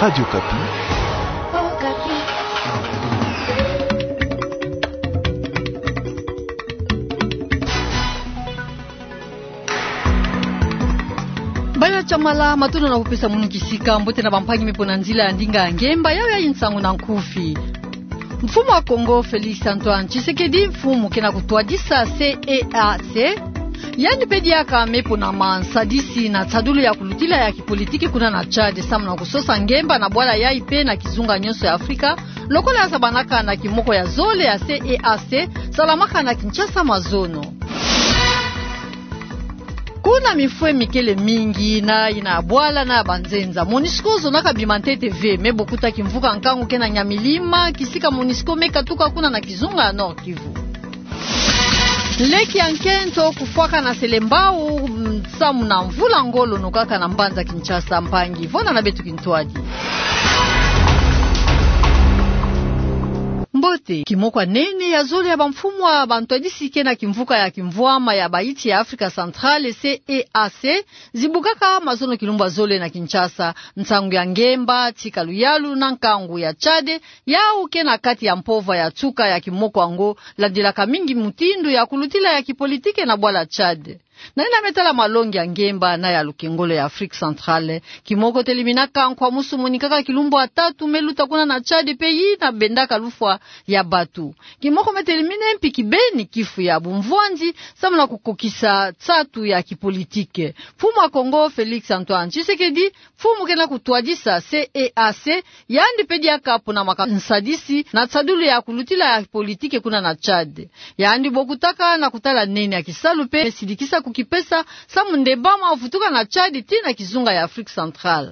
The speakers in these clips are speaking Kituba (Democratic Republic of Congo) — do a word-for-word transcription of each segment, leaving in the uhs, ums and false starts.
Radio Okapi. Bala Chamala, matondo na kupesa munu kisika, mbote na bampangi me mpo na nzila ya ndinga ya ngemba, yayi nsangu na nkufi. Mfumu wa Kongo, Félix Antoine Tshisekedi, mfumu ke na kutwadisa C E A C, yandi mpe diaka me mpo na mansadisi na nsadulu ya kulutila ya kipolitiki kuna na Tchad, samu na kusosa ngemba na bwala yayi mpe na kizunga nyonso ya Afrika, lokola ya sabanaka na kimoko ya zole ya C E A C, salamaka na Kinshasa mazono. Kuna mifwe mikele mingi na yina ya bwala na ya banzenza, MONUSCO zonaka bima ntete ve, me bokuta kimvuka nkangu ke na Nyamilima, kisika MONUSCO me katuka kuna na kizunga ya Nord-Kivu. Leki ya nkento kufwaka na selembao, mm, samu na mvula ngolo nokaka na mbanza Kinshasa. Mpangi, vwanda na beto kintwadi. Mbote, kimoko ya nene ya zole ya bamfumu ya bantwadisi ke na kimvuka ya kimvwama ya bayinsi ya Afrika Centrale, C E A C, zibukaka mazono kilumbu ya zole na Kinshasa, nsangu ya ngemba, tika luyalu na nkangu ya Tchad, yawu ke na kati ya mpova ya nsuka ya kimoko yango, landilaka mingi mutindu ya kulutila ya kipolitiki na bwala Tchad. Na yina me tala malongi ya ngemba na ya lukengolo ya Afrique Centrale, kimoko teleminaka nkwa musu monikaka kilumbu ya tatu me luta kuna na Tchad mpe yina bendaka lufwa ya batu. Kimoko me telemine mpi kibeni kifu ya bumvwanzi, samu na kukokisa nsatu ya kipolitiki. Mfumu wa Kongo, Félix Antoine Tshisekedi, mfumu ke na kutwadisa C E A C, yandi mpe diaka ponamaka nsadisi na nsadulu ya kulutila ya politiki kuna na Tchad. Yandi bokutaka na kutala nene ya kisalu mpe sidikisa kukipesa, samu ndembama vutuka na Tchad tii na kizunga ya Afrique Centrale.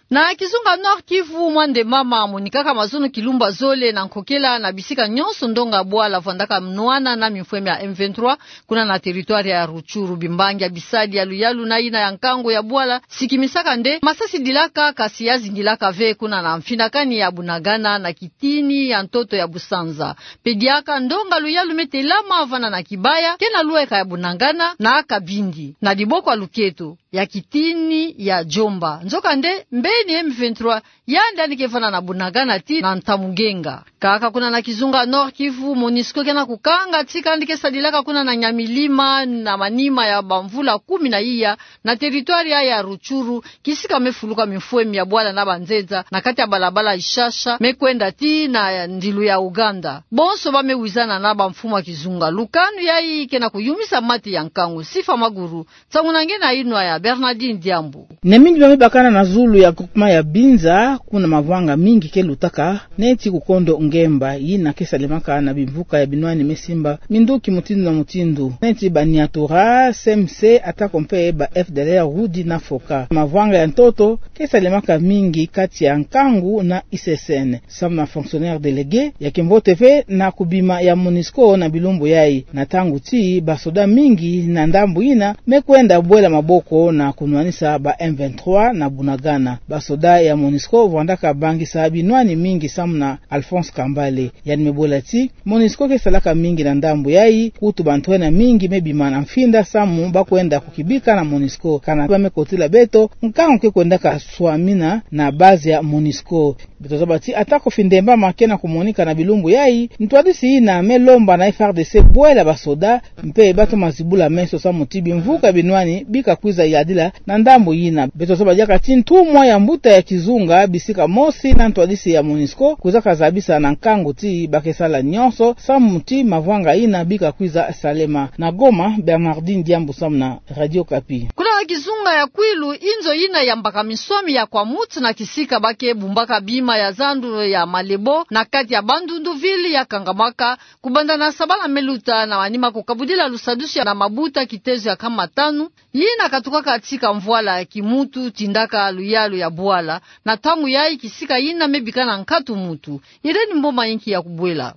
Na kizunga Nord-Kivu, mwa ndembama monikaka mazono kilumbu ya zole na nkokela na bisika nyonso ndonga bwala vwandaka nwana na mifwe mia M vingt-trois, kuna na territoire ya Rutshuru. Bimbangi ya bisadi ya luyalu na yina ya nkangu ya bwala sikimisaka nde masasi dilaka, kasi ya zingilaka ve kuna na mfinakani ya Bunagana na kitini ya ntoto ya Busanza. Mpe diaka ndonga luyalu me telama vana na Kibaya, ke na lweka ya Bunagana na Kabindi, na diboko ya luketo ya kitini ya Djomba. Nzokande, mbeni M vingt-trois yandi yandi ke vana na Bunagana tii na Ntamugenga. Kaka kuna na kizunga Nord-Kivu, MONUSCO ke na kukanga tika yandi ke sadilaka kuna na Nyamilima na manima ya bamvula kumi na iya, na territoire ya, ya Rutshuru, kisika me fuluka mifwemi ya bwala na banzenza, na kati ya balabala Ishasha me kwenda tii na ndilu ya Uganda. Bonso ba me wizana na bamfumu ya kizunga. Lukanu yayi ke na kuyumisa mati ya nkangu. Sifa Maguru, nsangu na nge na yinwa ya Bernardine Diambu. Na mingi ba me bakana na zulu ya groupement ya Binza, kuna mavanga mingi ke lutaka, neti kukondo ngemba yina ke salemaka na bimvuka ya binwani me simba minduki mutindu na mutindu, neti ba Nyatura, C M C, atako mpe ba F D L R, Rudi na Foka. Mavanga ya ntoto ke salemaka mingi kati ya nkangu na I C C N. Samu na fonctionnaire délégué, ya kimbote ve na kubima ya MONUSCO na bilumbu yayi, na ntangu tii basoda mingi na ndambu yina me kwenda bwela maboko na kunwanisa ba M vingt-trois na Bunagana. Basoda ya MONUSCO vwandaka bangisa binwani mingi, samu na Alphonse Kambale. Yandi me bwela tii, MONUSCO ke salaka mingi na ndambu yayi, kutu bantu ena mingi me bima na mfinda samu ba kwenda kukibika na MONUSCO. Kana ba me kotila beto, nkangu ke kwendaka swamina na base ya MONUSCO. Beto zaba tii, atako findembama ke na kumonika na bilumbu yayi, ntwadisi yina me lomba na F A R D C bwela basoda, mpe ba toma zibula meso samu ti bimvuka binwani bika kwiza yadila na ndambu yina. Beto zaba diaka ti ntumwa ya mbuta ya kizunga bisika mosi na ntwadisi ya MONUSCO kwizaka zabisa na nkangu ti ba ke sala nyonso samu ti mavanga yina bika kwiza salema. Na Goma, Bernardine Diambu samu na Radio Okapi. Kuna na kizunga ya Kwilu, inzo yina yambaka minswami ya Kwamouth, na kisika ba ke bumbaka bima ya zandu ya malebo na kati ya Bandundu ville, ya kangamaka kubanda na sabala me luta, na manima kukabudila lusadusi na mabuta kitezo ya nkama tanu, yina katukaka tika mvwala ya kimuntu tindaka luyalu ya bwala. Na ntangu yayi, kisika yina me bika na nkatu muntu. Irène Mboma inki ya kubwela.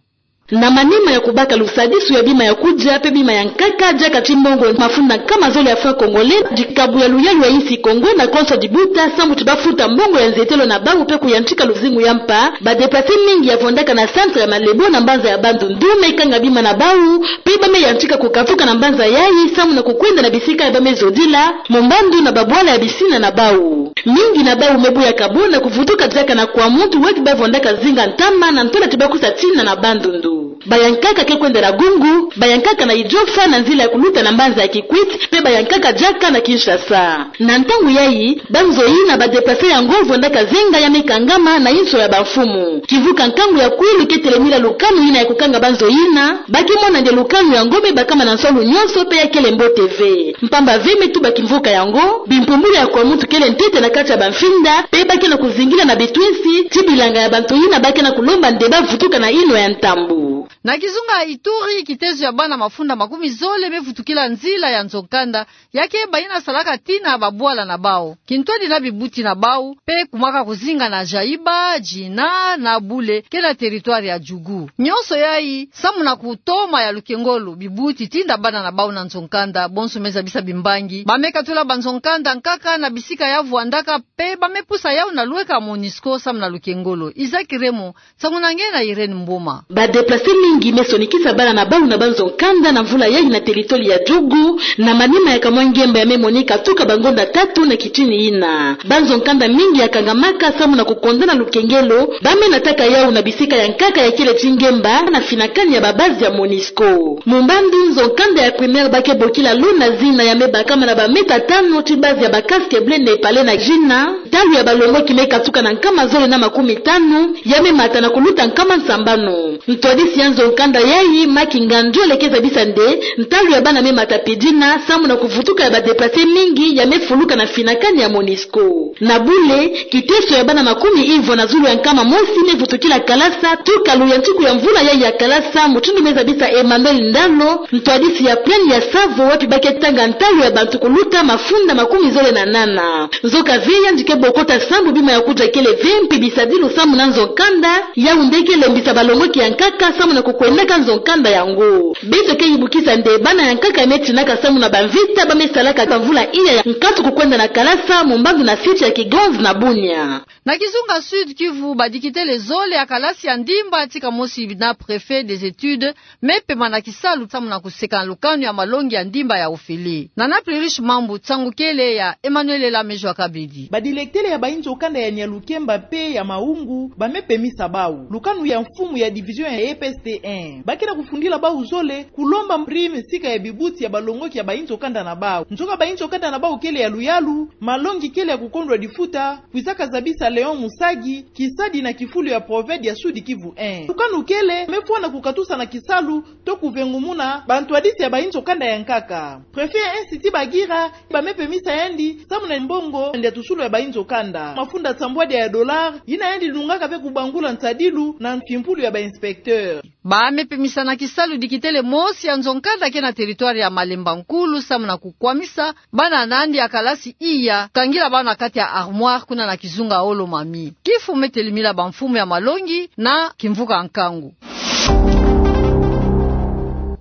Na manima ya kubaka lusadisu ya bima ya kudia pe bima ya nkaka, diaka ti mbongo mafunda nkama zole ya francs congolais, dikabu ya luyalu ya insi Kongo na konso dibuta, samu ti bafuta mbongo ya nzetelo na bau pe kuyantika luzingu ya mpa, ba déplacés mingi ya vwandaka na centre ya Malebo na mbanza ya Bandundu me kanga bima na bau, pe ba me yantika kukatuka na mbanza yayi samu na kukwenda na bisika ya ba me zodila, mombandu na babwala ya bisina na bau. Mingi na bau me buyaka bo na kuvutuka diaka na Kwamuntu, wapi ba vwandaka zinga ntama na ntola ti ba kusa tina na Bandundu. Bayankaka ke kwenda na Gungu, bayankaka na Idiofa na nzila ya kuluta na mbanza ya Kikwit, pe bayankaka diaka na Kinshasa. Na ntangu yayi, ba nzo yina ba déplacés yango vwandaka zenga ya me kangama na inso ya bamfumu. Kimvuka nkangu ya kwilu ke telemila lukanu yina ya kukanga ba nzo yina, ba ke mona nde lukanu yango me bakama na nsolu nyonso pe ya kele mbote ve. Mpamba ve me tuba kimvuka yango, bimpumbulu ya Kwamuntu kele ntete na kati ya bamfinda, pe ba ke na kuzingila na bitwinsi ti bilanga ya bantu yina ba ke na kulomba nde ba vutuka na yinwa ya ntambu. Na kizunga Ituri, kitezo ya bana mafunda makumi zole me vutukila nzila ya nzo-nkanda, ya keba yina salaka tina babwala na bau, kintwadi na bibuti na bau, pe kumaka kuzinga na Jaiba, Djina, na Bule, ke na territoire ya Djugu. Nyonso yayi, samu na kutoma ya lukengolo bibuti tinda bana na bau na nzo-nkanda, bonso me zabisa bimbangi. Ba me katula ba nzo-nkanda nkaka na bisika ya vwandaka, pe ba me pusa yau na lweka MONUSCO samu na lukengolo. Isaac Remo, nsangu na nge na Irène Mboma. Ba déplacés mingi me sonikisa bana na bau na ba nzo-nkanda na mvula yayi na territoire ya Djugu, na manima ya kamwa ngemba ya me monika tuka bangonda tatu na kitini yina. Ba nzo-nkanda mingi ya kangamaka samu na kukonda na lukengelo, ba me nataka yau na bisika ya nkaka ya kele ti ngemba na finakani ya ba base ya MONUSCO. Mombandu nzo-nkanda ya primaire ba ke bokila Lo na Zina ya me bakama na ba mètres tanu ti base ya ba Casques Bleus Népalais na Djina, ntalu ya balongoki me katuka na nkama zole na makumi tanu, ya me mata na kuluta nkama nsambanu. Ntwadisi ya nzo-nkanda yayi, Maki Ngandiole, ke zabisa nde ntalu ya bana me mata pidina samu na kuvutuka ya ba déplacés mingi ya me fuluka na finakani ya MONUSCO. Na Bule, kiteso ya bana makumi ivwa na zulu ya nkama mosi me vutukila kalasa tuka luyantiku ya mvula yayi ya kalasa, mutindu me zabisa Emmanuel Ndalo, ntwadisi ya plaine ya Tsavo, wapi ba ke tanga ntalu ya bantu kuluta mafunda makumi zole na nana. Nzoka ve, yandi ke bokota sambu bima ya kudia kele ve, mpi bisadilu samu na nzo-nkanda, yau nde ke lembisa balongoki ya nkaka samu na kukwendaka nzo-nkanda yango. Beto ke yibukisa nde bana ya nkaka ya me tinaka samu na bamvita ba me salaka bamvula iya ya nkatu kukwenda na kalasa, mombandu na site ya Kigonz na Bunia. Na kizunga Sud-Kivu, badikitele zole ya kalasi ya ndimba, tika mosi na préfet des études, me pema na kisalu samu na kuseka na lukanu ya malongi ya ndimba ya ofele. Na Naplurish Mambu, nsangu kele ya Emmanuel Ela Mejwa Kabedi. Badilekitele ya bainzo kanda ya Nyalukemba pe ya Maungu ba me pemisa bau lukanu ya mfumu ya division ya E P S T un. Ba ke na kufundila bau zole kulomba prime sika ya bibuti ya balongoki ya bainzo kanda na bau. Nzoka bainzo kanda na bau kele ya luyalu, malongi kele ya kukondwa difuta, kwizaka zabisa Léon Musagi, kisadi na kifulu ya Proved ya Sud-Kivu un. Lukanu kele me fwana kukatusa na kisalu to kuvengumuna bantwadisi ya bainzo kanda ya nkaka. Préfet ya Institut Bagira ba me pemisa yandi samu na mbongo ya ntusulu ya bainzo kanda, mafunda nsambwadi ya dollars, yina yandi lungaka ve kubangula nsadilu na mfimpulu ya ba inspecteurs. Ba me pemisa na kisalu dikitele mosi ya nzo-nkanda ke na territoire ya Malemba Nkulu samu na kukwamisa bana na yandi ya kalasi iya, kangila bau na kati ya armoire kuna na kizunga Olo-Mami. Kifu me telemila bamfumu ya malongi na kimvuka nkangu.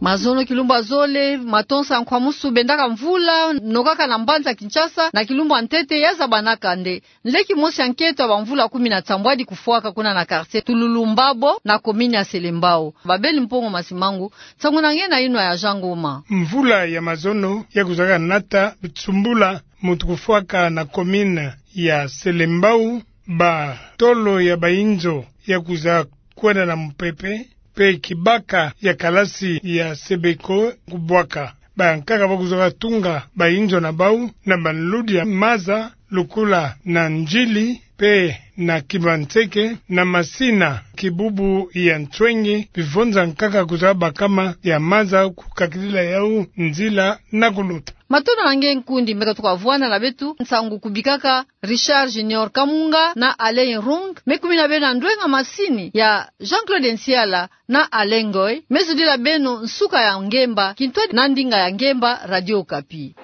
Mazono, kilumbu ya zole, matonsa ya nkwamusu bendaka mvula nokaka na mbanza Kinshasa, na kilumbu ya ntete ya zabanaka nde nleki mosi ya nketo ya bamvula kumi na nsambwadi kufwaka kuna na quartier Tululumbabo na commune ya Selembao. Babel Mpongo Masimangu, nsangu na nge na yinwa ya Jean Ngoma. Mvula ya mazono ya kuzaka nata bisumbula mutu kufwaka na commune ya Selembao, ba tolo ya bainzo ya kuza kwenda na mupepe, pe kibaka ya kalasi ya Sebeko kubwaka. Bankaka ba kuzaka tunga bainzo na bau na banludi ya maza, lukula na Ndjili pe na Kibanseke, na Masina, Kibubu ya Nswenge, bivonza nkaka kuzaka bakama ya maza kukakidila yau nzila na kuluta. Matondo na nge nkundi me katuka vwanda na beto, nsangu kubikaka Richard Junior Kamunga na Alain Rung, me kumina beno na ndwenga masini ya Jean-Claude Nsiala na Alain Ngoy, me zudila beno nsuka ya ngemba, kintwadi na ndinga ya ngemba, Radio Okapi.